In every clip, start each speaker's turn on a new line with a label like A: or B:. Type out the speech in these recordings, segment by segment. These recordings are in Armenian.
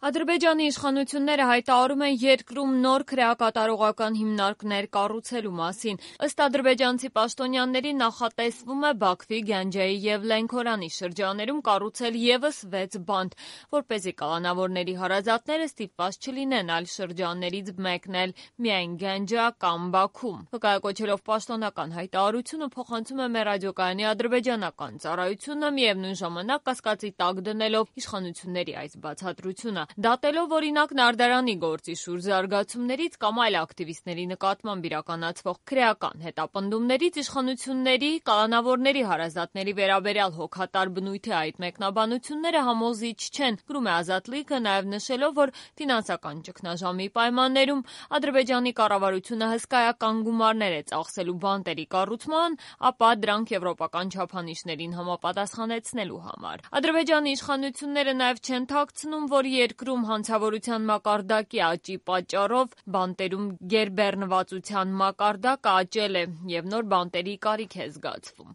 A: Ադրբեջանի իշխանությունները հայտարարում են երկրում նոր քրեակատարողական հիմնարկներ կառուցելու մասին։ Ըստ ադրբեջանցի պաշտոնյաների նախատեսվում է Բաքվի, Գանջայի և Լենքորանի շրջաներում կառուցել ևս 6 բանտ, որպեսզի կալանավորների հարազատները ստիպված չլինեն այլ շրջաններից մեկնել միայն Գանջա կամ Բաքու։ Վկայակոչելով պաշտոնական հայտարարությունը փոխանցում է մեր ռադիոկայանի ադրբեջանական ծառայությունը, միևնույն ժամանակ կասկածի տակ դնելով իշխանությունների այս բացատրությունը։ Դատելով օրինակ Նարդարանի գործի շուրջ զարգացումներից կամ այլ ակտիվիստների նկատմամբ իրականացվող քրեական հետապնդումներից իշխանությունների կալանավորների հարազատների վերաբերյալ հոգատար բնույթի այդ մեկնաբանությունները համոզիչ չեն, գրում է Ազատլիկը, նաև նշելով, որ ֆինանսական ճգնաժամի պայմաններում Ադրբեջանի կառավարությունը հսկայական գումարներ է ծախսելու բանտերի կառուցման, ապա դրանք եվրոպական չափանիշներին համապատասխանեցնելու համար։ Ադրբեջանի իշխանությունները նաև չեն թաքցնում, որ երկրում հանցավորության մակարդակի աճի պատճառով բանտերում գերբեռնվածության մակարդակը աճել է և նոր բանտերի կարիք է զգացվում։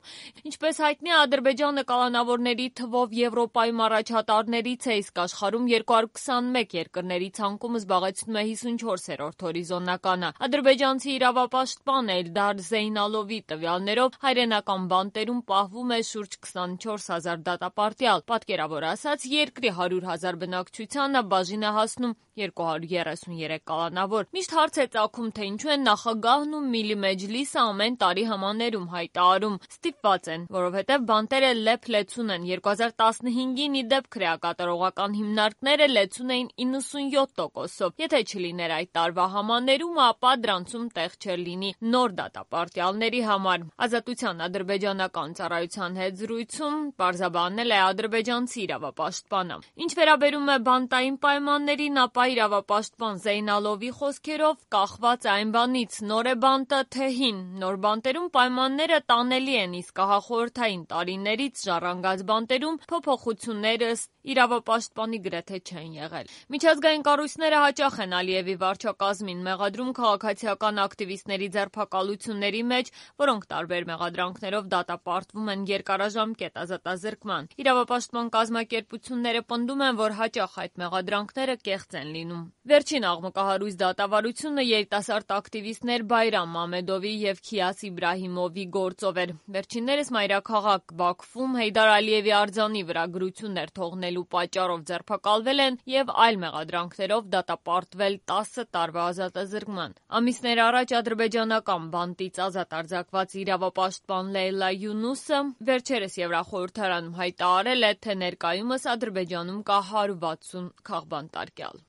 A: Ինչպես հայտնի է, Ադրբեջանը կալանավորների թվով Եվրոպայում առաջատարներից է, իսկ աշխարհում 221 երկրների ցանկում զբաղեցնում է 54-րդ հորիզոնականը։ Ադրբեջանցի իրավապաշտպան Էլդար Զեյնալովի տվյալներով հայրենական բանտերում պահվում է շուրջ 24,000 դատապարտյալ։ Պատկերավոր ասած, երկրի 100,000 բնակչությանը բաժին է հասնում 233 կալանավոր։ Միշտ հարց է ծագում, թե ինչու են նախագահն ու Միլի Մեջլիսը ամեն տարի հմաներում հայտարարում ստիպված են, որովհետև բանտերը լեփ-լեցուն են։ 2015-ին ի դեպ քրեակատարողական հիմնարկները լեցուն էին 97%-ով։ Եթե չլիներ այդ տարվա հմաներումը, ապա դրանցում տեղ չէր լինի նոր դատապարտյալների համար։ Ազատության ադրբեջանական ծառայության հետ զրույցում պարզաբանել է ադրբեջանցի իրավապաշտպանը։ Ինչ վերաբերում է բանտային պայմաններին, ապա իրավապաշտպան Զեյնալովի խոսքերով կախված է այն բանից՝ նոր է բանտը, թե հին։ Նոր բանտերում պայմանները տանելի են, իսկ ահախորհրդային տարիներից ժառանգած բանտերում փոփոխություններ ըստ իրավապաշտպանի գրեթե չեն եղել։ Միջազգային կառույցները հաճախ են Ալիևի վարչակազմին մեղադրում քաղաքացիական ակտիվիստների ձերբակալությունների մեջ, որոնք տարբեր մեղադրանքներով դատապարտվում են երկարաժամկետ ազատազրկման։ Իրավապաշտպան կազմակերպությունները պնդում են, որ հաճախ այդ մեղադրանքները կեղծ են լինում։ Վերջին աղմկահարույց դատավարությունը երիտասարդ ակտիվիստներ Բայրամ Մամեդովի և Քիաս Իբրահիմովի գործով էր։ Վերջիններս մայրաքաղաք Բաքվում Հեյդար Ալիևի արձանի վրա գրություններ թողնելու պատճառով ձերբակալվել են և այլ մեղադրանքներով դատապարտվել 10 տարվա ազատազրկման։ Ամիսներ առաջ ադրբեջանական բանտից ազատ արձակված իրավապաշտպան Լեյլա Յունուսը վերջերս Եվրախորհրդարանում հայտարարել է, թե ներկայումս Ադրբեջանում կա 160 քաղբանտարկյալ։